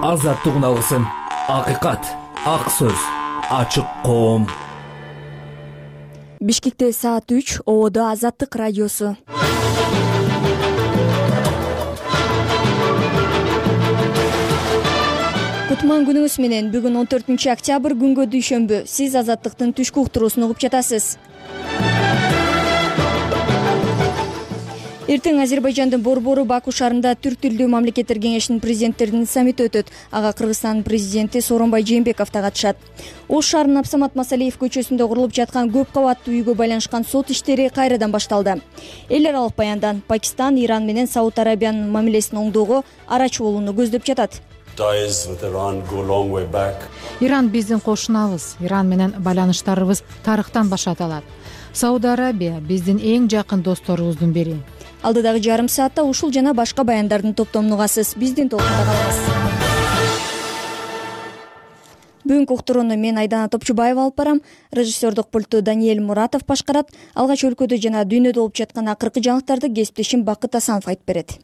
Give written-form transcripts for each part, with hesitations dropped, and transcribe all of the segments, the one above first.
Азаттык алгысын, акыйкат, ак сөз, ачык коом. Бишкекте саат 3, Ободо Азаттык радиосу. Кутман күнүңүз менен. Бүгүн 14-октябрь күнгө дүйшөмбү. Сиз Азаттыктын түшкү уктуруусун угуп жатасыз. Эртең Азербайжандын Борбору Баку шаарында Түрк тилдүү мамлекеттер кеңешинин президенттеринин саммити өтөт. Ага Кыргызстандын президенти Сооронбай Жээнбеков да катышат. Ош шаарынын Абсамат Масалиев көчөсүндө курулуп жаткан көп кабаттуу үйгө байланышкан сот иштери кайрадан башталды. Эл аралык баяндан Пакистан, Иран менен Сауд Арабиянын мамилесин оңдоого арачы болууну көздөп жатат. Иран биздин кошунабыз. Иран менен байланыштарыбыз тарыхтан башталат. Сауд Арабия биздин эң жакын досторубуздун бири. Алдыдагы жарым саатта ушул жана башка баяндардын топтомун угасыз. Биздин толкунда калыңыз. Бүгүнкү уктурууну мен Айдана Топчубаева алып барам. Режиссердук пультту Даниэль Муратов башкарат. Алгач өлкөдө жана дүйнөдө болуп жаткан акыркы жаңылыктарды кесиптешим Бакыт Асанов айтып берет.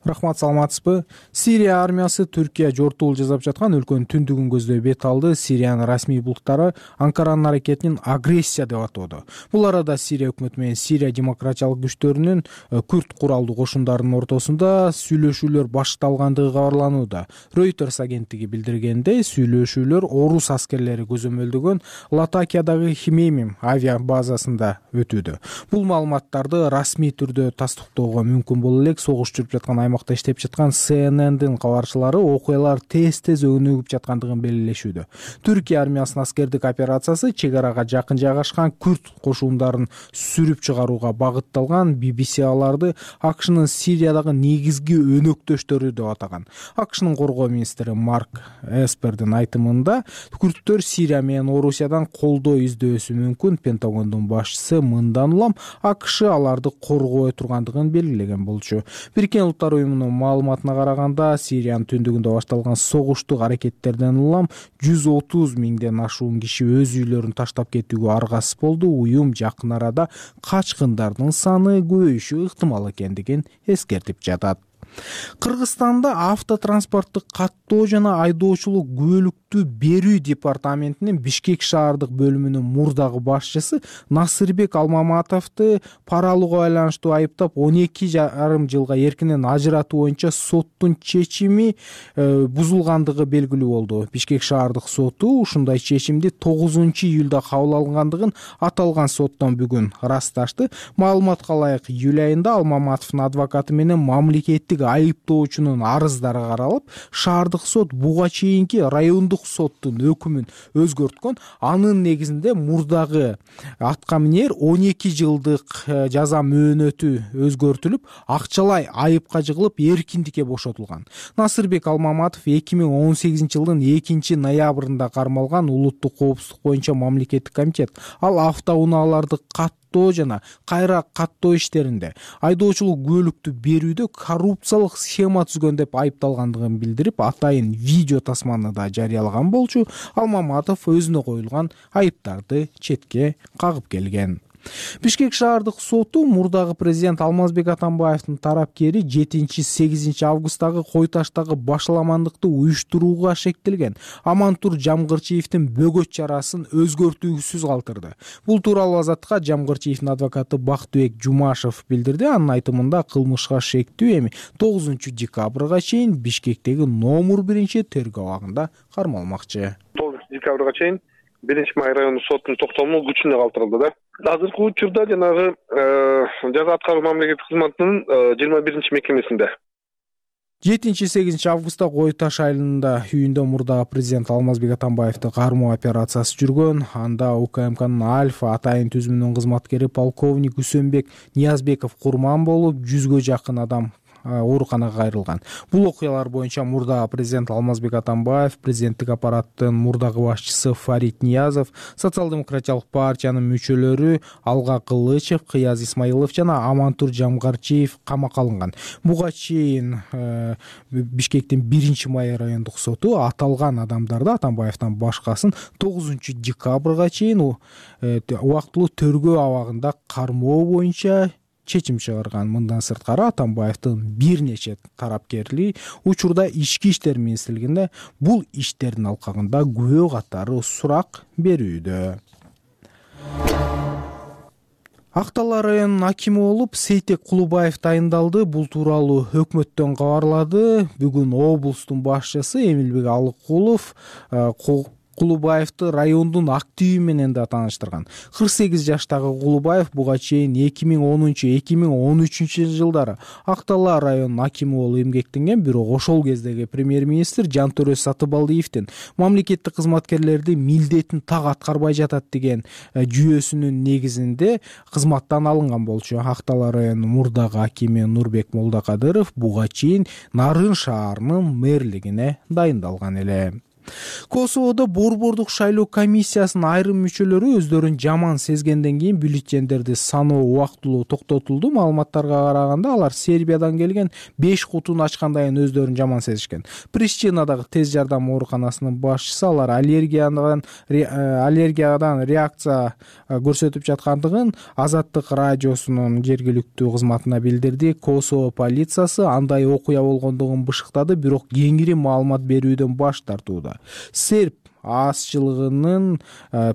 Рахмат, саламатсызбы? Сирия армиясы Түркия жортуул жасап жаткан өлкөнүн түндүгүн көздөй бет алды. Сириянын расмий булуктары Анкаранын аракетин агрессия деп атоодо. Бул арада Сирия өкмөтү менен Сирия демократиялык күчтөрүнүн күрд куралдуу кошундардын ортосунда сүйлөшүүлөр башталгандыгы кабарланууда. Reuters агенттиги билдиргендей, сүйлөшүүлөр орус аскерлери көзөмөлдөгөн Латакиядагы Химеймим авиа базасында өтүүдө. Бул маалыматтарды расмий түрдө тастыктоого мүмкүн боло элек согуш жүрүп жаткан аймакта иштеп жаткан CNN'дин кабарчылары окуялар тез өнүгүп жаткандыгын белгилешүүдө. Түркия армиясынын аскердик операциясы чек арага жакын жайгашкан күрд кошундарын сүрүп чыгарууга багытталган. BBC аларды АКШнын Сириядагы негизги өнөктөштөрү деп атаган. АКШнын коргоо министри Марк Эспердин айтымында күрдтөр Сирия менен Орусиядан колдоо издөөсү мүмкүн. Пентагондун башчысы мындан улам АКШ аларды коргой тургандыгын белгилеген болчу. Бириккен Улуттар уюмунун маалыматына караганда, Сириянын түндүгүндө башталган согуштук аракеттерден улам 130 миңден ашуун киши өз үйлөрүн таштап кетүүгө аргасыз болду. Уюм жакын арада качкындардын саны көбөйүшү ыктымал экендигин эскертип жатат. Кыргызстанда автотранспорттук каттоо жана айдоочулук күбөлүктү берүү департаментинин Бишкек шаардык бөлүмүнүн мурдагы башчысы Насырбек Алмаматовду пара алууга байланыштуу айыптап 12,5 жылга эркинен ажыратуу боюнча соттун чечими бузулгандыгы белгилүү болду. Бишкек шаардык соту ушундай чечимди 9-июлда кабыл алгандыгын аталган соттон бүгүн ырасташты. Маалыматка ылайык, июль айында Алмаматовдун адвокаты менен мамлекеттик айыптоочунун арыздары каралып, шаардык сот буга чейинки райондук соттун өкүмүн өзгөрткөн. Анын негизинде мурдагы атка минер 12 жылдык жаза мөөнөтү өзгөртүлүп, акчалай айыпка жыгылып, эркиндикке бошотулган. Насырбек Алмаматов 2018 жылдын 2-ноябрында кармалган. Улуттук коопсуздук боюнча мамлекеттик комитет ал автоунааларды жана кайра каттоо иштеринде айдоочулук күбөлүктү берүүдө коррупциялык схема түзгөн деп айыпталгандыгын билдирип, атайын видео тасманы да жарыялаган болчу. Алмаматов өзүнө коюлган айыптарды четке кагып келген. Бишкек шаардык соту мурдагы президент Алмазбек Атамбаевдин тарапкери 7-8 августтагы Кой Таштагы башаламандыкты уюштурууга шектелген Амантур Жамгырчиевдин бөгөт чарасын өзгөртүүсүз калтырды. Бул тууралуу Азаттыкка Жамгырчиевдин адвокаты Бактыбек Жумашев билдирди. Анын айтымында кылмышка шектүү эми 9-декабрга чейин Бишкектеги номер 1 тергөө абагында кармалмакчы. 9-декабрга чейин 1-Май райондук соттун токтому күчүнө калтырылды да. Азыркы учурда жанагы жаза аткаруу мамлекеттик кызматынын 21-мекемесинде. 7-8 августта Кой Таш айылында үйүндө мурдагы президент Алмазбек Атамбаевди кармоо операциясы жүргөн. Анда УКМКнын Альфа атайын түзүмүнүн кызматкери полковник Үсөнбек Ниязбеков курман болуп, 100гө жакын адам ооруканага кайрылган. Бул окуялар боюнча мурдагы президент Алмазбек Атамбаев, президенттик аппараттын мурдагы башчысы Фарид Ниязов, социал-демократиялык партиянын мүчөлөрү Алга Кылычев, Кыяз Исмаилов жана Амантур Жамгырчиев камакка алынган. Буга чейин Бишкектин 1-Май райондук соту аталган адамдарды Атамбаевден башкасын 9-декабрга чейин убактылуу тергөө абагында кармоо боюнча чечим чыгарган. Мындан сырткары Атамбаевдин бир нече тарапкерлиги учурда Ички иштер министрлигинде бул иштердин алкагында күбө катары сурак берүүдө. Ак Талаа районунун акими болуп Сейтек Кулубаев тайындалды. Бул тууралуу өкмөттөн кабарлады. Бүгүн облустун башчысы Эмилбек Алыкулов Кулубаевди райондун активи менен да тааныштырган. 48 жаштагы Кулубаев буга чейин 2010-2013 жылдары Ак Талаа районунун акими болуп эмгектенген, бирок ошол кездеги премьер-министр Жантөрө Сатыбалдиевдин мамлекеттик кызматкерлерди милдетин так аткарбай жатат деген жүйөсүнүн негизинде кызматтан алынган болчу. Ак Талаа районунун мурдагы акими Нурбек Молдокадыров буга чейин Нарын шаарынын мэрлигине дайындалган эле. Косоводо борбордук шайлоо комиссиясынын айрым мүчөлөрү өздөрүн жаман сезгенден кийин бюллетендерди саноо убактылуу токтотулду. Маалыматтарга караганда алар Сербиядан келген 5 кутуну ачкандан кийин өздөрүн жаман сезишкен. Прищинадагы тез жардам ооруканасынын башчысы алар аллергиядан реакция көрсөтүп жаткандыгын Азаттык радиосунун жергиликтүү кызматына билдирди. Косово полициясы андай окуя болгондугун бышыктады, бирок кеңири маалымат берүүдөн баш тартууда. Серб азчылыгынын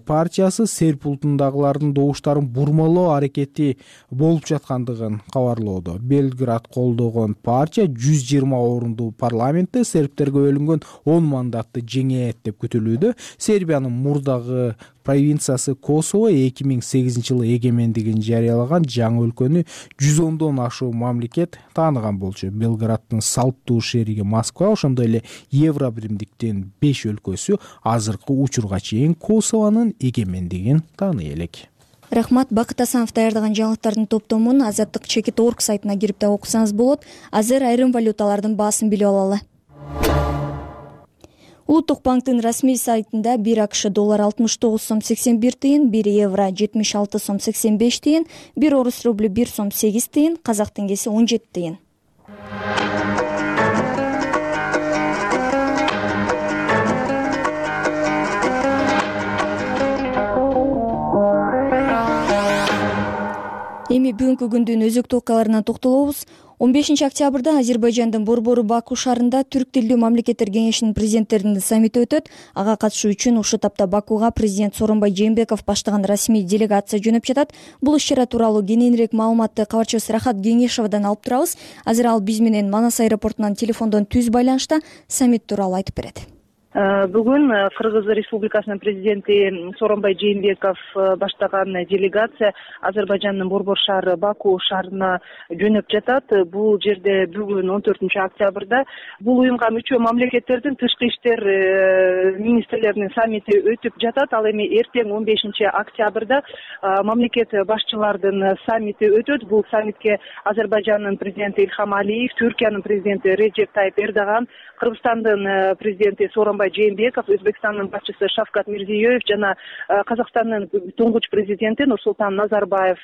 партиясы серб улутундагылардын добуштарын бурмалоо аракети болуп жаткандыгын кабарлоодо. Белград колдогон партия 120 орундуу парламентте сербтерге бөлүнгөн 10 мандатты жеңет деп күтүлүүдө. Сербиянын мурдагы провинциясы Косово 2008 жылы эгемендигин жарыялаган жаңы өлкөнү 110дон ашуу мамлекет тааныган болчу. Белграддын салттуу шериги Москва, ошондой эле Евробиримдиктин 5 өлкөсү азыркы учурга чейин Косованын эгемендигин тааный элек. Рахмат. Бакыт Асанов даярдаган жаңылыктардын топтомун Азаттык Чекит.org сайтына кирип да окусаңыз болот. Азыр айрым валюталардын баасын билип алалы. Улуттук банктын расмий сайтында 1 АКШ доллар 69 сом 81 тыйын, 1 евро 76 сом 85 тыйын, 1 орус рубль 1 сом 8 тыйын, казак теңгеси 17 тыйын. Эми бүгүнкү күндүн өзөктүү окуяларына токтолобуз. 15 октябрда Азербайжандын борбору Баку шаарында Түрк тилдүү мамлекеттер кеңешинин президенттеринин саммити өтөт. Ага катышуу үчүн ушул тапта Бакуга президент Сооронбай Жээнбеков баштаган расмий делегация жөнөп жатат. Бул иш-чара тууралуу кененирээк маалыматты кабарчыбыз Рахат Кеңешовдон алып турабыз. Азыр ал биз менен Манас аэропортунан телефондон түз байланышта. Саммит тууралуу айтып берет. Бүгүн Кыргыз Республикасынын президенти Сооронбай Жээнбеков баштаган делегация Азербайжандын борбор шаары Баку шаарына жөнөп жатат. Бул жерде бүгүн 14 октябрда бул уюмга мүчө мамлекеттердин тышкы иштер министрлеринин саммити өтүп жатат. Ал эми эртең 15 октябрда мамлекет башчылардын саммити өтөт. Бул саммитке Азербайжандын президенти Ильхам Алиев, Түркиянын президенти Реджеп Тайип Эрдоган, Кыргызстандын президенти Сооронбай Жээнбеков, Өзбекстандын башчысы Шавкат Мирзиёев жана Казакстандын туңгуч президенти Нурсултан Назарбаев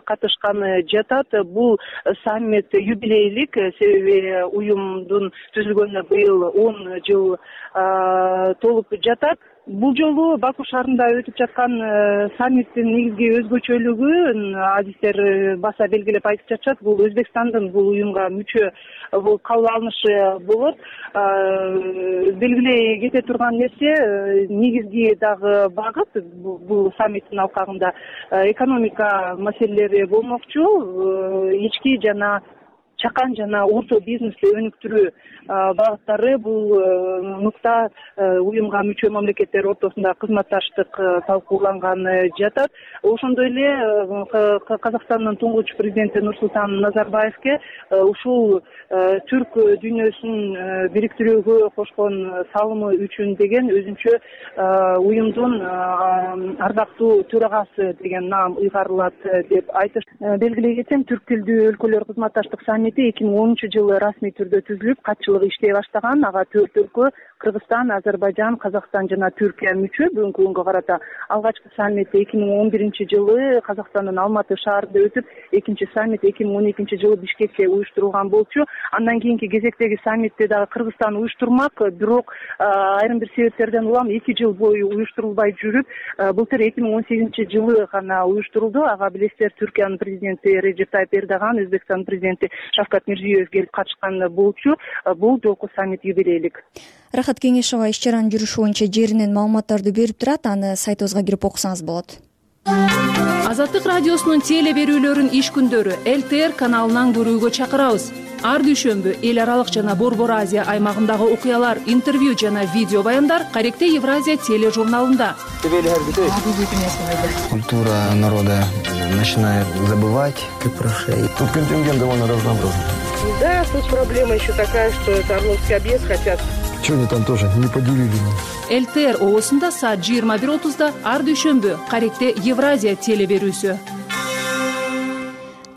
катышканы жатат. Бул саммит юбилейлик, себеби уюмдун түзүлгөнүнө быйыл 10 жыл толуп жатат. Бул жолу Баку шаарында өтүп жаткан саммиттин негизги өзгөчөлүгү адистер баса белгилеп айтып жатышат. Бул Өзбекстандын бул уюмга мүчө бул кабыл алынышы болот. Белгилей кете турган нерсе, негизги дагы багыт бул саммиттин алкагында экономика маселелери болмокчу. Ички жана чакан жана орто бизнести өнүктүрүү багыттары бул нукта уюмга мүчө мамлекеттер ортосунда кызматташтык талкууланган жатат. Ошондой эле Казакстандын туңгуч президенти Нурсултан Назарбаевке ушул түрк дүйнөсүн бириктирүүгө кошкон салымы үчүн деген өзүнчө уюмдун ардактуу төрагасы деген наам ыйгарылат деп айтыш. Белгилей кетсем, түрк тилдүү өлкөлөр кызматташтык саммити 2010 жылы расмий түрдө түзүлүп, катчылык иштей баштаган. Ага 4 өлкө Кыргызстан, Азербайжан, Казакстан жана Түркия мүчө бүгүнкү күнгө карата. Алгачкы саммит 2011-жылы Казакстандын Алматы шаарында өтүп, экинчи саммит 2012 жылы Бишкекте уюштурулган болчу. Андан кийинки кезектеги саммитти дагы Кыргызстан уюштурмак, бирок айрым бир себептерден улам 2 жыл бою уюштурулбай жүрүп, былтыр 2018-жылы гана уюштурулду. Ага билесиздер, Түркиянын президенти Реджеп Тайип Эрдоган, Өзбекстандын президенти Шавкат Мирзиёев келип катышкан болчу. Бул жолку саммит юбилейлик. Рахат Кеңешова иш чаранын жүрүшү боюнча жеринен маалыматтарды берип турат. Аны сайтыбызга кирип окусаңыз болот. Азаттык радиосунун теле берүүлөрүн иш күндөрү ЛТР каналынан көрүүгө чакырабыз. Ар дүйшөмбү эл аралык жана Борбор Азия аймагындагы окуялар, интервью жана видео баяндар Каректе Евразия тележурналында. Культура народа начинает забывать, как про шеи. Тут контингент довольно разнообразный. Да, тут проблема еще такая, что это Орловский объезд хотят. Что они там тоже не поделили? ЛТР оосунда саат 21:30 ар дүйшөмбү Каректе Евразия теле берүүсү.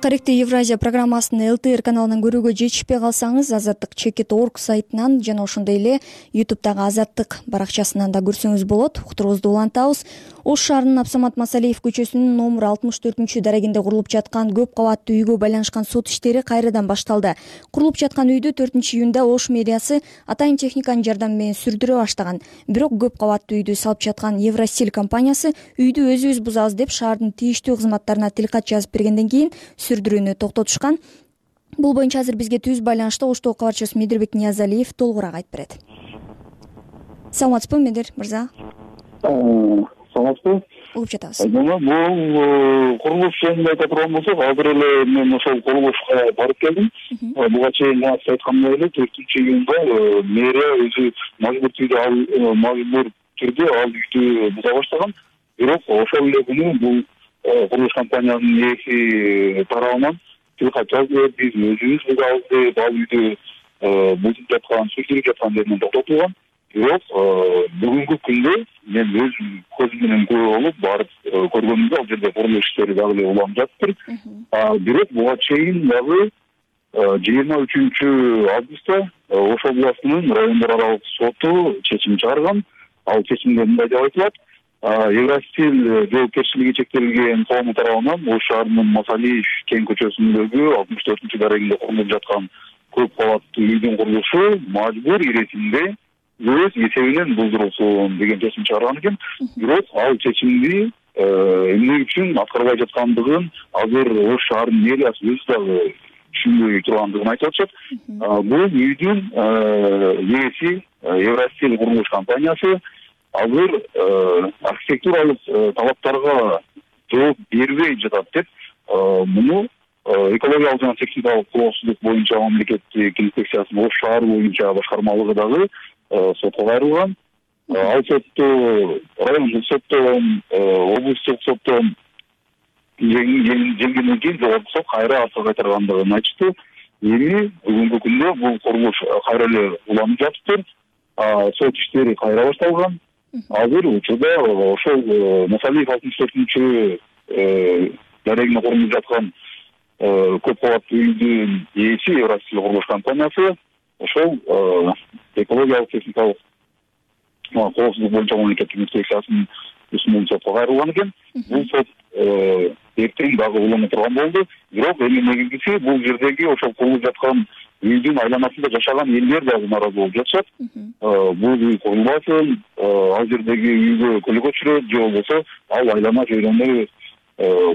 Каректе Евразия программасын ЛТР каналынан көрүүгө жетишпей калсаңыз, Азаттык.org сайтынан жана ошондой эле YouTube'дагы Азаттык баракчасынан да көрсөңүз болот. Уктуруубузду улантабыз. Ош шаарынын Абсамат Масалиев көчөсүнүн номер 64-дарегинде курулуп жаткан көп кабаттуу үйгө байланышкан сот иштери кайрадан башталды. Курулуп жаткан үйдү 4-июнда Ош мэриясы атайын техниканын жардамы менен сүрдүрө баштаган. Бирок көп кабаттуу үйдү салып жаткан Евростиль компаниясы үйдү өзүбүз бузабыз деп шаардын тийиштүү кызматтарына тилкат жазып бергенден кийин сүрдүрүүнү токтотушкан. Бул боюнча азыр бизге түз байланышта Оштогу кабарчысы Медирбек Ниязалиев толугураак айтып берет. Саламатсызбы, Медир мырза? Саламатсызбы? Угуп жатабыз. Бул курулуш жөнүндө айта турган болсок, азыр эле мен ошол курулушка барып келдим. Буга чейин сиз айткандай эле 4-июнда мэрия өзү мажбур түрдө ал үйдү буза баштаган. Бирок ошол эле күнү бул курулуш компаниянын ээси тарабынан тилкат жазып, биз өзүбүз бузабыз деп ал үйдү бузуп жаткан, сүрдүрүп жаткан жеринен токтотулган. Бирок бүгүнкү күндө мен өз көзүм менен көрүп алып, барып көргөнүмдө ал жерде курулуш иштери дагы эле уланып жатыптыр. Бирок буга чейин дагы 23 августта Ош областынын райондор аралык соту чечим чыгарган. Ал чечимде мындай деп айтылат: Евростиль жоопкерчилиги чектелген коому тарабынан Ош шаарынын Масалиев кең көчөсүндөгү 64-дарегинде курулуп жаткан көп кабаттуу үйдүн курулушу мажбур иресинде өз эсебинен булдурулсун деген чечим чыгарган экен. Бирок ал чечимди эмне үчүн аткарбай жаткандыгын азыр Ош шаарынын мэриясы өзү дагы түшүнбөй тургандыгын айтып атышат. Бул үйдүн ээси Евростиль курулуш компаниясы азыр архитектуралык талаптарга жооп бербей жатат деп муну экологиялык жана техникалык коопсуздук боюнча мамлекеттик инспекциясынын Ош шаары боюнча башкармалыгы дагы сотко кайрылган. Ал сотто райондук соттон, облустук соттон жеңгенден кийин жогорку сот кайра артка кайтаргандыгын айтышты. Эми бүгүнкү күндө бул курулуш кайра эле уланып жатыптыр. Сот иштери кайра башталган. Азыр учурда ошол Масалиев 64-дарегинде курулуп жаткан көп кабаттуу үйдүн ээси Евростиль курулуш компаниясы ошол экологиялык техникалык коопсуздук боюнча мамлекеттик инспекциясынын үстүнөн сотко кайрылган экен. Бул сот эртең дагы уланып турган болду. Бирок эми негизгиси бул жердеги ошол курулуп жаткан үйдүн айланасында жашаган элдер дагы нааразы болуп жатышат. Бул үй курулбасын, ал жердеги үйгө көлөкө түшүрөт, же болбосо ал айлана жөнүндө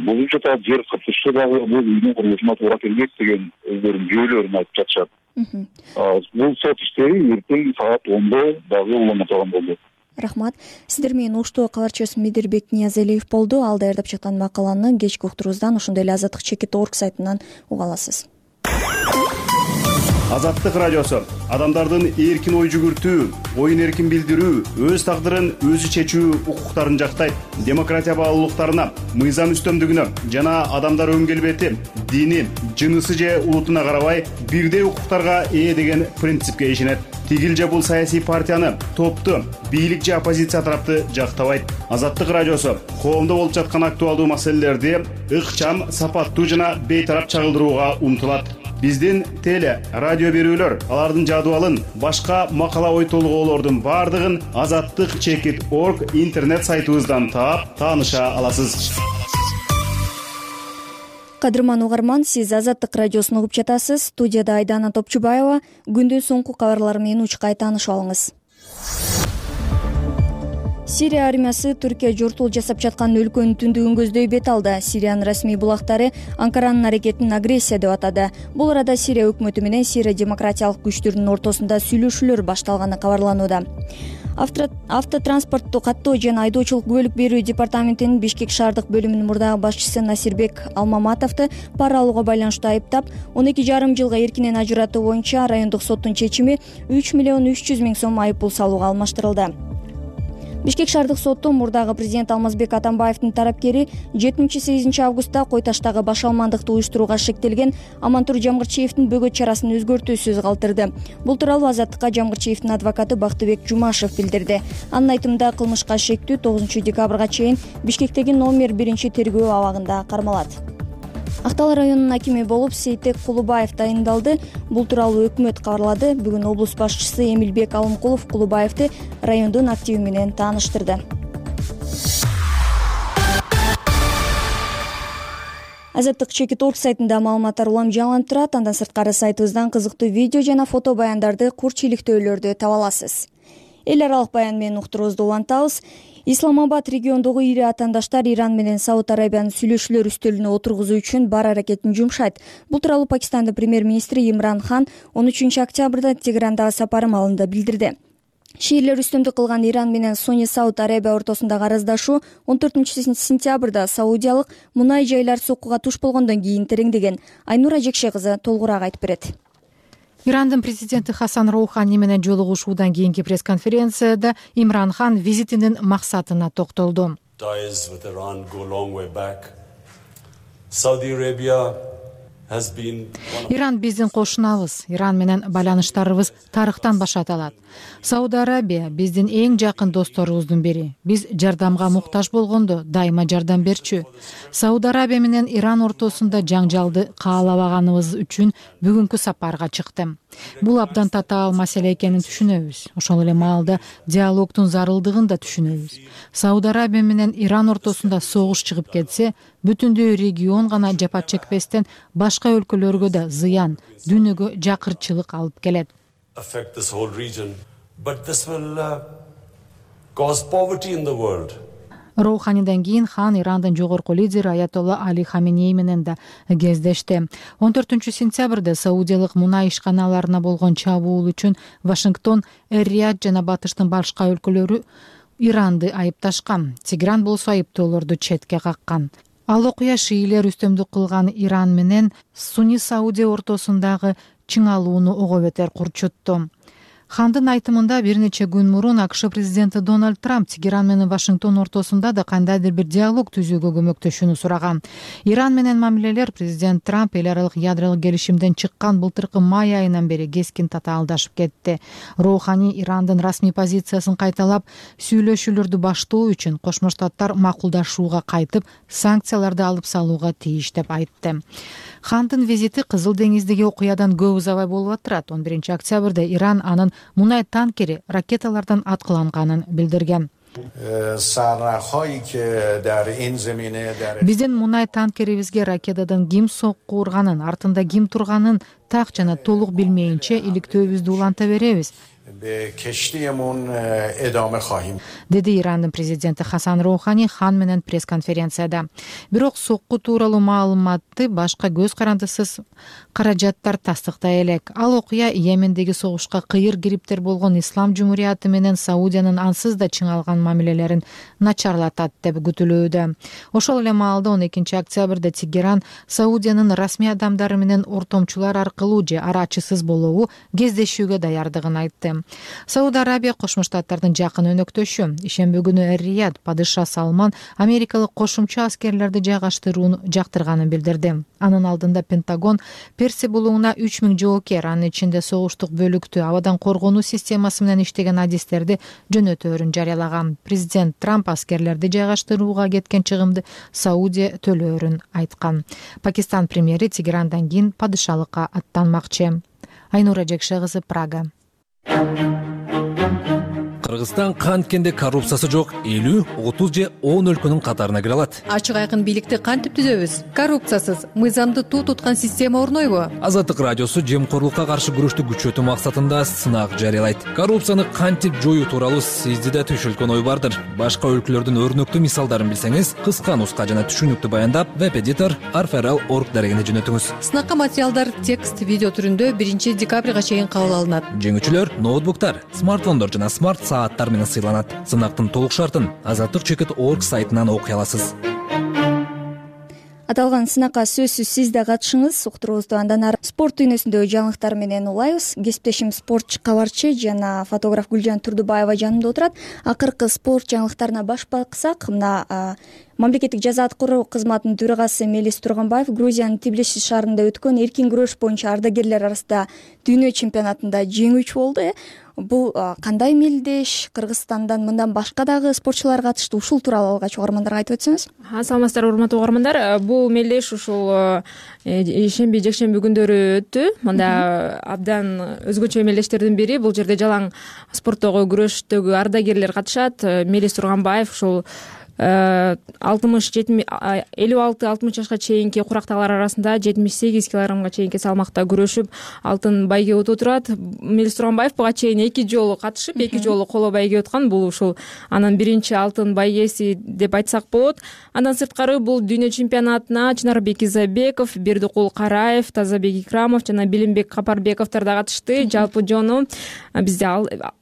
бузуп жатат, жер кыртышы дагы бул үйдүн курулушуна туура келбейт деген өздөрүнүн жүйөлөрүн айтып жатышат. Бул сот иштери эртең саат 10-до дагы уланып турган болду. Рахмат. Сиздер менен Оштогу кабарчысы Медирбек Ниязалиев болду. Ал даярдап жаткан макаланы кечки уктуруубуздан ошондой эле Азаттык.org сайтынан уга аласыз. Азаттык радиосу адамдардын эркин ой жүгүртүү, оюн эркин билдирүү, өз тагдырын өзү чечүү укуктарын жактайт. Демократия баалуулуктарына, мыйзам үстөмдүгүнө жана адамдар өн келбети, дини, жынысы же улутуна карабай бирдей укуктарга ээ деген принципке ишенет. Тигил же бул саясий партияны, топту, бийлик же оппозиция тарапты жактабайт. Азаттык радиосу коомдо болуп жаткан актуалдуу маселелерди ыкчам, сапаттуу жана бейтарап чагылдырууга умтулат. биздин теле радио берүүлөр алардын жадыбалын, башка макала ой толгоолордун баардыгын azattik.org интернет сайтыбыздан таап тааныша аласыз. Кадырман угарман, сиз Азаттык радиосун угуп жатасыз. Студияда Айдана Топчубаева. Күндүн соңку кабарлары менен учкай таанышып алыңыз. Сирия армиясы Түркия жортуул жасап жаткан өлкөнүн түндүгүн көздөй бет алды. Сириянын расмий булактары Анкаранын аракетин агрессия деп атады. Бул арада Сирия өкмөтү менен Сирия демократиялык күчтөрүнүн ортосунда сүйлөшүүлөр башталганы кабарланууда. Автотранспортту каттоо жана айдоочулук күбөлүк берүү департаментинин Бишкек шаардык бөлүмүнүн мурдагы башчысы Насирбек Алмаматовду пара алууга байланыштуу айыптап, 12,5 жылга эркинен ажыратуу боюнча райондук соттун чечими 3,3 миллион сом айыппул салууга алмаштырылды. Бишкек шаардык соту мурдагы президент Алмазбек Атамбаевдин тарапкери 7-8 августта Кой таштагы баш алмандыкты уюштурууга шектелген Амантур Жамгырчиевдин бөгөт чарасын өзгөртүүсүз калтырды. Бул тууралуу Азаттыкка Жамгырчиевдин адвокаты Бактыбек Жумашев билдирди. Анын айтымында кылмышка шектүү 9 декабрга чейин Бишкектеги номер 1 тергөө абагында кармалат. Актал районунун акими болуп Сейтек Кулубаев тайындалды. Бул тууралуу өкмөт кабарлады. Бүгүн облус башчысы Эмилбек Алымкулов Кулубаевди райондун активи менен тааныштырды. Azattik.org сайтында маалыматтар улам жаңыланып турат. Андан сырткары сайтыбыздан кызыктуу видео жана фото баяндарды, курч иликтөөлөрдү таба аласыз. Эл аралык баян менен уктуруубузду улантабыз. Исламабад региондогу ири атаандаштар Иран менен Сауд Арабиянын сүйлөшүүлөр үстөлүнө отургузуу үчүн бар аракетин жумшайт. Бул тууралуу Пакистандын премьер-министри Имран Хан 13 октябрда Тегерандагы сапары маалында билдирди. Шиирлер үстөмдүк кылган Иран менен Суни Сауд Арабия ортосундагы араздашуу 14 сентябрда Саудиялык мунай жайлар соккуга туш болгондон кийин тереңдеген. Айнура Жекше кызы толугураак айтып берет. Ирандын президенти Хасан Роухани менен жолугушуудан кийинки пресс-конференцияда Имран Хан визитинин максатына токтолду. Иран биздин кошунабыз. Иран менен байланыштарыбыз тарыхтан башталат. Сауд Арабия биздин эң жакын досторубуздун бири. Биз жардамга муктаж болгондо дайыма жардам берчү. Сауд Арабия менен Иран ортосунда жаңжалды каалабаганыбыз үчүн бүгүнкү сапарга чыктым. Бул абдан татаал маселе экенин түшүнөбүз. Ошол эле маалда диалогдун зарылдыгын да түшүнөбүз. Сауд Арабия менен Иран ортосунда согуш чыгып кетсе, бүтүндөй регион гана жапа чекпестен башка өлкөлөргө да зыян, дүйнөгө жакырчылык алып келет. Роуханидан кийин Хан Ирандын жогорку лидери Аятолла Али Хаменей менен да кездешти. 14 сентябрда Саудиялык мунай ишканаларына болгон чабуул үчүн Вашингтон, Эр-Рияд жана Батыштын башка өлкөлөрү Иранды айыпташкан. Тегеран болсо айыптоолорду четке каккан. Ал окуя шиилер үстөмдүк кылган Иран менен Суни Саудия ортосундагы чыңалууну ого бетер курчутту. Хандын айтымында бир нече күн мурун АКШ президенти Дональд Трамп Тегеран менен Вашингтон ортосунда да кандайдыр бир диалог түзүүгө көмөктөшүүнү сураган. Иран менен мамилелер президент Трамп эл аралык ядролук келишимден чыккан былтыркы май айынан бери кескин татаалдашып кетти. Роухани Ирандын расмий позициясын кайталап, сүйлөшүүлөрдү баштоо үчүн Кошмо Штаттар макулдашууга кайтып, санкцияларды алып салууга тийиш деп айтты. Хандын визити Кызыл деңиздеги окуядан көп узабай болуп атат. 11 октябрда Иран анын мунай танкери ракеталардан аткыланганын билдирген. Биздин мунай танкерибизге ракетадан ким сокку урганын, артында ким турганын так жана толук билмейинче иликтөөбүздү уланта беребиз, деди Ирандын президенти Хасан Роухани Хан менен пресс-конференцияда. Бирок сокку тууралуу маалыматты башка көз карандысыз каражаттар тастыктай элек. Ал окуя Йемендеги согушка кыйыр кириптер болгон Ислам Жумурияты менен Саудиянын ансыз да чыңалган мамилелерин начарлатат деп күтүлүүдө. Ошол эле маалда 12 октябрда Тегеран Саудиянын расмий адамдары менен ортомчулар аркылуу же арачысыз болобу кездешүүгө даярдыгын айтты. Сауд Арабия Кошмо Штаттардын жакын өнөктөшү. Ишемби күнү Эр-Рияд падыша Салман америкалык кошумча аскерлерди жайгаштырууну жактырганын билдирди. Анын алдында Пентагон Персия булугуна 3000 жоокер, анын ичинде согуштук бөлүктү абадан коргонуу системасы менен иштеген адистерди жөнөтөөрүн жарыялаган. Президент Трамп аскерлерди жайгаштырууга кеткен чыгымды Саудия төлөөрүн айткан. Пакистан премьери Тегерандан кийин падышалыкка аттанмакчы. Айнура Жекше кызы, Прага. Кыргызстан канткенде коррупциясы жок 50, 30 же 10 өлкөнүн катарына кире алат. Ачык айкын бийликти кантип түзөбүз? Коррупциясыз, мыйзамды туу туткан система орнойбу? Азаттык радиосу жемкорлукка каршы күрөштү күчөтүү максатында сынак жарыялайт. Коррупцияны кантип жоюу тууралуу сизди да түшүлгөн ой бардыр. Башка өлкөлөрдүн өрнөктүү мисалдарын билсеңиз, кыска нуска жана түшүнүктүү баяндап, веб-эдитор arferal.org дарегине жөнөтүңүз. Сынакка материалдар текст, видео түрүндө 1 декабрга чейин кабыл алынат. Жеңүүчүлөр ноутбуктар, смартфондор жана смарт сааттар менен сыйланат. Сынактын толук шартын azatlyk.org сайтынан окуй аласыз. Аталган сынакка сөзсүз сиз да катышыңыз. Уктуруубузду андан ары спорт дүйнөсүндөгү жаңылыктар менен улайбыз. Кесиптешим спортчу кабарчы жана фотограф Гүлжан Турдубаева жанымда отурат. Акыркы спорт жаңылыктарына баш баксак, мына мамлекеттик жаза аткаруу кызматынын төрагасы Мелис Турганбаев Грузиянын Тбилиси шаарында өткөн эркин күрөш боюнча ардагерлер арасында дүйнө чемпионатында жеңүүчү болду. Бул кандай мелдеш? Кыргызстандан мындан башка дагы спортчулар катышты. Ушул тууралуу алгач угармандарга айтып өтсөңүз. Саламатсыздарбы, урматтуу угармандар. Бул мелдеш ушул шемби, жекшемби күндөрү өттү. Мында абдан өзгөчө мелдештердин бири. Бул жерде жалаң спорттогу күрөштөгү ардагерлер катышат. Мелис Турганбаев ушул 56-60 жашка чейинки курактагылар арасында 78 килограммга чейинки салмакта күрөшүп алтын байгеге отурат. Мелис Турганбаев буга чейин 2 жолу катышып, 2 жолу коло байге өткөн. Бул ушул анын биринчи алтын байгеси деп айтсак болот. Андан сырткары бул дүйнө чемпионатына Чынарбек Изабеков, Бердикул Караев, Тазабек Икрамов жана Билимбек Капарбековдор да катышты. Жалпы жону бизде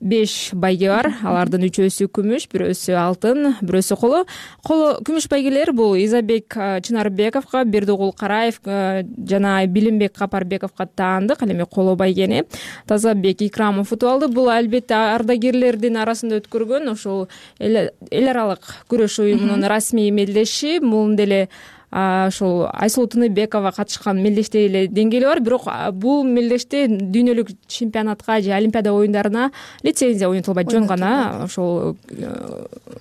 5 байге бар. Алардын 3-өсү күмүш, 1-өсү алтын, 1-өсү коло. Күмүш байгелер бул Изабек Чынарбековго, Бердикул Караев жана Билимбек Капарбековго таандык. Ал эми коло байгени Тазабек Икрамов утуп алды. Бул албетте ардагерлердин арасында өткөргөн ошол эл аралык күрөш уюмунун расмий мелдеши. Мун деле ошол Айсулуу Тыныбекова катышкан мелдештей эле деңгээли бар. Бирок бул мелдеште дүйнөлүк чемпионатка же Олимпиада оюндарына лицензия ойнотулбайт. Жөн гана ошол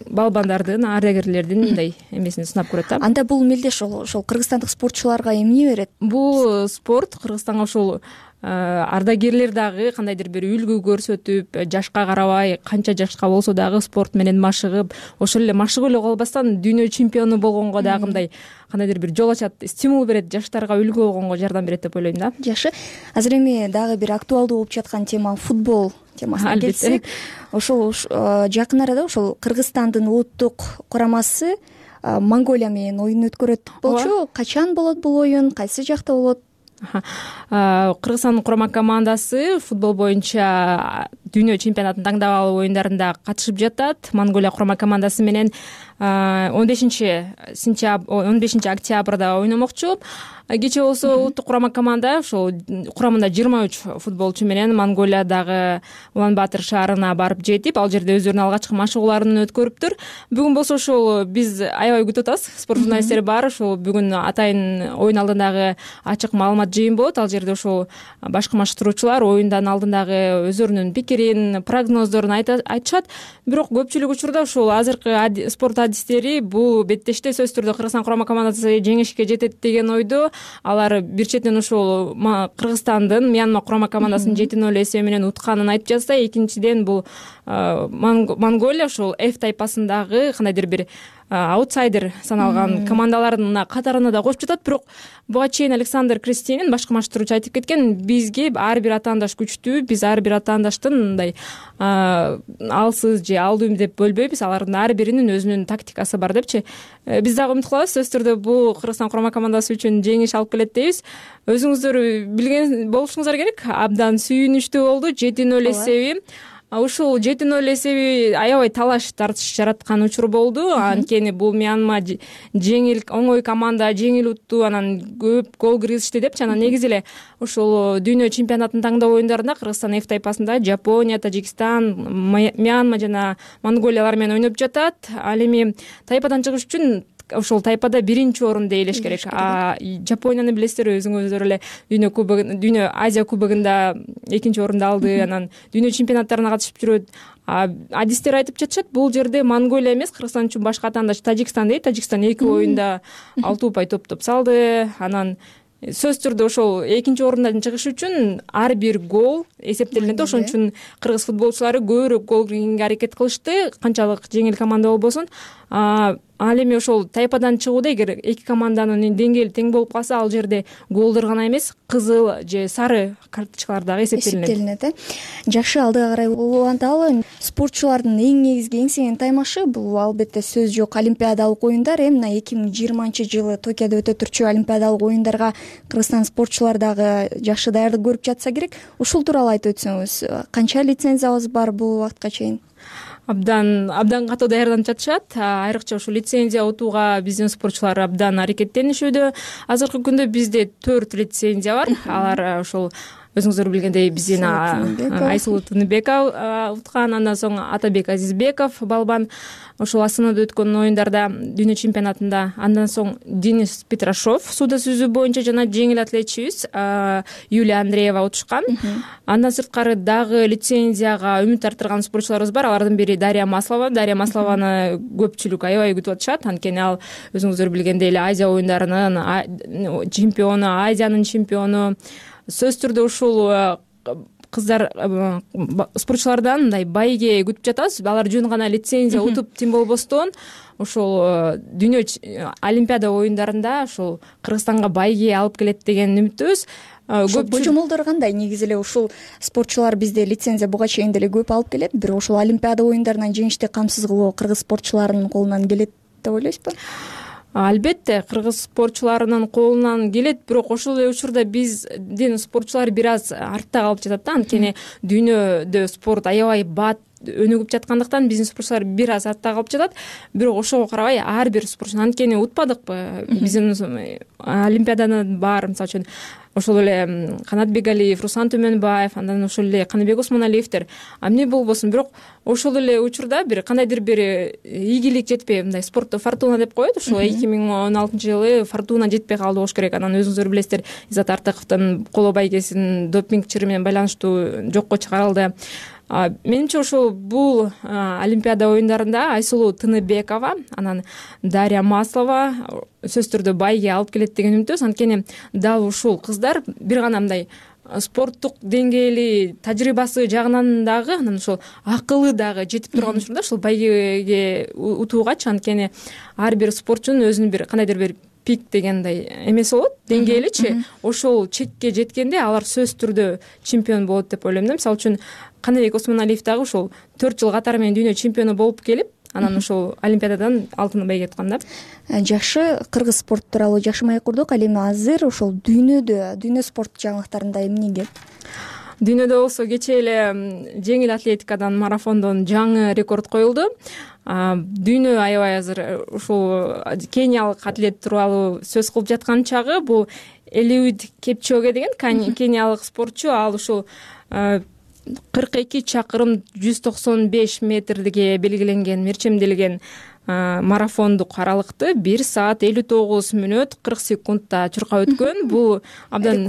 балбандардын, ардагерлердин мындай эмесин сынап көрөт да. Анда бул мелдеш ошол кыргызстандык спортчуларга эмне берет? Бул спорт Кыргызстанга ошол ардагерлер дагы кандайдыр бир үлгү көрсөтүп, жашка карабай, канча жашка болсо дагы спорт менен машыгып, ошол эле машыгып эле калбастан дүйнө чемпиону болгонго дагы мындай кандайдыр бир жол ачат, стимул берет, жаштарга үлгү болгонго жардам берет деп ойлойм да. Жакшы. Азыр эми дагы бир актуалдуу болуп жаткан тема футбол темасына келсек, ошол жакын арада ошол Кыргызстандын улуттук курамасы Монголия менен оюн өткөрөт болчу. Качан болот бул оюн? Кайсы жакта болот? Кыргызстандын курама командасы футбол боюнча дүйнө чемпионатынын таңдап алуу оюндарында катышып жатат. Монголия курама командасы менен 15 октябрда ойномокчу. Кечээ болсо улуттук курама команда ошол курамында 23 футболчу менен Монголиядагы Улан-Батыр шаарына барып жетип, ал жерде өздөрүнүн алгачкы машыгууларын өткөрүптүр. Бүгүн болсо ошол биз аябай күтүп атабыз. Спорт журналисттери бар. Ошол бүгүн атайын оюн алдындагы ачык маалымат жыйын болот. Ал жерде ошол башкы маштыруучулар оюндан алдындагы өздөрүнүн пикирин, прогноздорун айтышат. Бирок көпчүлүк учурда ошол азыркы спорт адистери бул беттеште сөзсүз түрдө Кыргызстан курама командасы жеңишке жетет деген ойдо. Алар бир четинен ошол Кыргызстандын Мьянма курама командасын 7-0 эсеби менен утканын айтып жатса, экинчиден бул Монголия ошол F тайпасындагы кандайдыр бир аутсайдер саналган командалардын катарына да кошуп жатат. Бирок буга чейин Александр Кристинин башкы маштыруучу айтып кеткен, бизге ар бир атаандаш күчтүү, биз ар бир атаандаштын мындай алсыз же алдуу деп бөлбөйбүз, алардын ар биринин өзүнүн тактикасы бар депчи. Биз дагы умут кылабыз, сөзсүз түрдө бул Кыргызстан курама командасы үчүн жеңиш алып келет дейбиз. Өзүңүздөр билген болушуңуздар керек, абдан сүйүнүчтүү болду 7-0 эсеби. Ушул 7-0 эсеби аябай талаш тартыш жараткан учур болду. Анткени бул Мьянма жеңил, оңой команда, жеңил утту, анан көп гол киргизишти депчи. Анан негизи эле ошол дүйнө чемпионатынын таңдоо оюндарында Кыргызстан F тайпасында Жапония, Тажикстан, Мьянма жана Монголиялар менен ойноп жатат. Ал эми тайпадан чыгыш үчүн ошол тайпада биринчи орунда ээлеш керек. Жапонияны билесиздер, өзүңүздөр эле дүйнө Азия кубогунда экинчи орунду алды, анан дүйнө чемпионаттарына катышып жүрөт. Адистер айтып жатышат, бул жерде Монголия эмес, Кыргызстан үчүн башка атаандаш Тажикстан дейт. Тажикстан 2 оюнда 6 упай топтоп салды. Анан сөзсүз түрдө ошол экинчи орундан чыгыш үчүн ар бир гол эсептелинет да. Ошон үчүн кыргыз футболчулары көбүрөөк гол киргенге аракет кылышты, канчалык жеңил команда болбосун. Ал эми ошол тайпадан чыгууда эгер эки команданын деңгээли тең болуп калса, ал жерде голдор гана эмес, кызыл же сары карточкалар дагы эсептелинет. Жакшы, алдыга карай уланталы. Спортчулардын эң негизги эңсеген таймашы бул албетте сөз жок олимпиадалык оюндар. Эми мына 2020-жылы Токиодо өтө турчу олимпиадалык оюндарга Кыргызстан спортчулары дагы жакшы даярдык көрүп жатса керек. Ушул тууралуу айтып өтсөңүз, канча лицензиябыз бар бул убакытка чейин? Абдан катуу даярданып жатышат. Айрыкча ушул лицензия утууга биздин спортчулар абдан аракеттенишүүдө. Азыркы күндө бизде 4 лицензия бар. Алар ошол өзүңүздөр билгендей биздин Айсулуу Тыныбекова уткан, андан соң Атабек Азизбеков балбан ошол Астанада өткөн оюндарда дүйнө чемпионатында, андан соң Денис Петрашов сууда сүзүү боюнча жана жеңил атлетчибиз Юлия Андреева утушкан. Андан сырткары дагы лицензияга үмүт арттырган спортчуларыбыз бар. Алардын бири Дарья Маслова. Дарья Маслованы көпчүлүк аябай күтүп атышат, анткени ал өзүңүздөр билгендей эле Азия оюндарынын чемпиону, Азиянын чемпиону. Сөзсүз түрдө ушул кыздар спортчулардан мындай байге күтүп жатабыз. Алар жөн гана лицензия утуп тим болбостон ошол дүйнө олимпиада оюндарында ошол Кыргызстанга байге алып келет деген үмүттөбүз. Божомолдор кандай? Негизи эле ушул спортчулар бизде лицензия буга чейин деле көп алып келет, бирок ошол олимпиада оюндарынан жеңишти камсыз кылуу кыргыз спортчуларынын колунан келет деп ойлойсузбу? Албетте кыргыз спортчуларынын колунан келет, бирок ошол эле учурда биздин спортчулар бир аз артта калып жатат да, анткени дүйнөдө спорт аябай бат өнүгүп жаткандыктан биздин спортчулар бир аз артта калып жатат. Бирок ошого карабай ар бир спортчу, анткени утпадыкпы, биздин олимпиаданы бар, мисалы үчүн ошол эле Канат Бегалиев, Руслан Төмөнбаев, андан ошол эле Каныбек Осмоналиевдер эмне болбосун, бирок ошол эле учурда бир кандайдыр бир ийгилик жетпей, мындай спортто фортуна деп коет, ошол 2016-жылы фортуна жетпей калды болуш керек. Анан өзүңүздөр билесиздер, Иззат Артыковдун коло байгесин допинг чыры менен байланыштуу жокко чыгарылды. Менимче ошол бул олимпиада оюндарында Айсулуу Тыныбекова, анан Дарья Маслова сөзсүз түрдө байге алып келет деген үмүттөбүз, анткени дал ушул кыздар бир гана мындай спорттук деңгээли тажрыйбасы жагынан дагы, анан ошол акылы дагы жетип турган учурда ушул байгеге утуугачы, анткени ар бир спортчунун өзүнүн бир кандайдыр бир пик дегендей эмеси болот, деңгээличи. Ошол чекке жеткенде алар сөзсүз түрдө чемпион болот деп ойлойм да. Мисалы үчүн Каныбек Осмоналиев дагы ошол 4 жыл катары менен дүйнө чемпиону болуп келип, анан ошол олимпиададан алтын байге уткан да. Жакшы, кыргыз спорт тууралуу жакшы маек курдук. Ал эми азыр ошол дүйнө спорт жаңылыктарында эмне кел? Дүйнөдө болсо кечээ эле жеңил атлетикадан, марафондон жаңы рекорд коюлду. Дүйнө аябай азыр ушул кениялык атлет тууралуу сөз кылып жаткан чагы, бул Элиуд Кепчоге деген кениялык спортчу. Ал ушул 42 чакырым 195 метрге белгиленген, мерчемделген марафондук аралыкты 1 саат 59 мүнөт 40 секундта чуркап өткөн. Бул абдан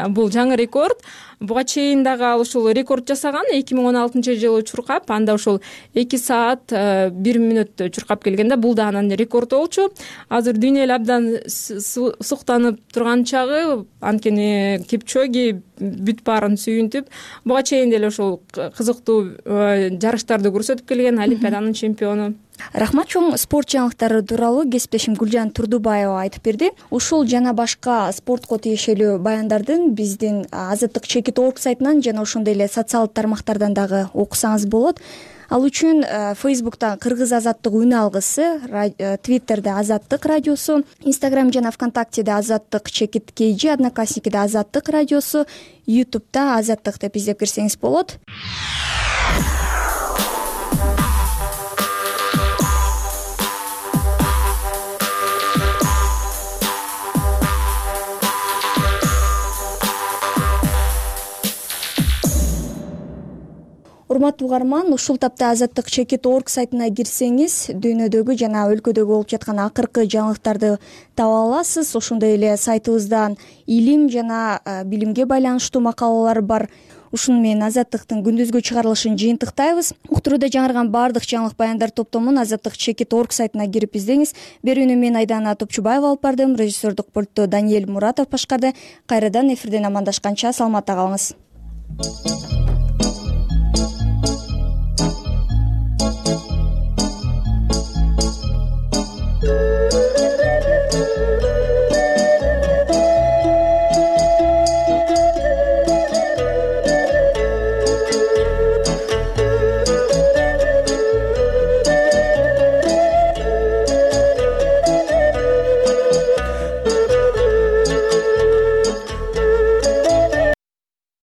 бул жаңы рекорд. Буга чейин дагы ал ушул рекорд жасаган 2016-жылы чуркап, анда ушул 2 саат 1 мүнөттө чуркап келгенде, бул да анан рекорд болчу. Азыр дүйнө эле абдан суктанып турган чагы, анткени Кепчоги бүт баарын сүйүнтүп, буга чейин деле ушул кызыктуу жарыштарды көрсөтүп келген, олимпиаданын чемпиону. Рахмат чоң. Спорт жаңылыктары тууралуу кесиптешим Гүлжан Турдубаева айтып берди. Ушул жана башка спортко тиешелүү баяндардын биздин Азаттык чекит орг сайтынан жана ошондой эле социалдык тармактардан дагы окусаңыз болот. Ал үчүн Facebook'та Кыргыз Азаттык үн алгысы, Twitter'де Азаттык радиосу, Instagram жана ВКонтактеде Азаттык чекит KG, Одноклассникиде Азаттык радиосу, YouTube'да Азаттык деп издеп кирсеңиз болот. Урматтуу угарман, ушул тапта Азаттык чекит орг сайтына кирсеңиз, дүйнөдөгү жана өлкөдөгү болуп жаткан акыркы жаңылыктарды таба аласыз. Ошондой эле сайтыбыздан илим жана билимге байланыштуу макалалар бар. ушуну менен Азаттыктын күндүзгү чыгарылышын жыйынтыктайбыз. Уктурууда жаңырган баардык жаңылык баяндар топтомун Азаттык чекит орг сайтына кирип издеңиз. Берүүнү мен Айдана Топчубаева алып бардым. Режиссердук пультту Даниэль Муратов башкарды. Кайрадан эфирден амандашканча саламатта калыңыз.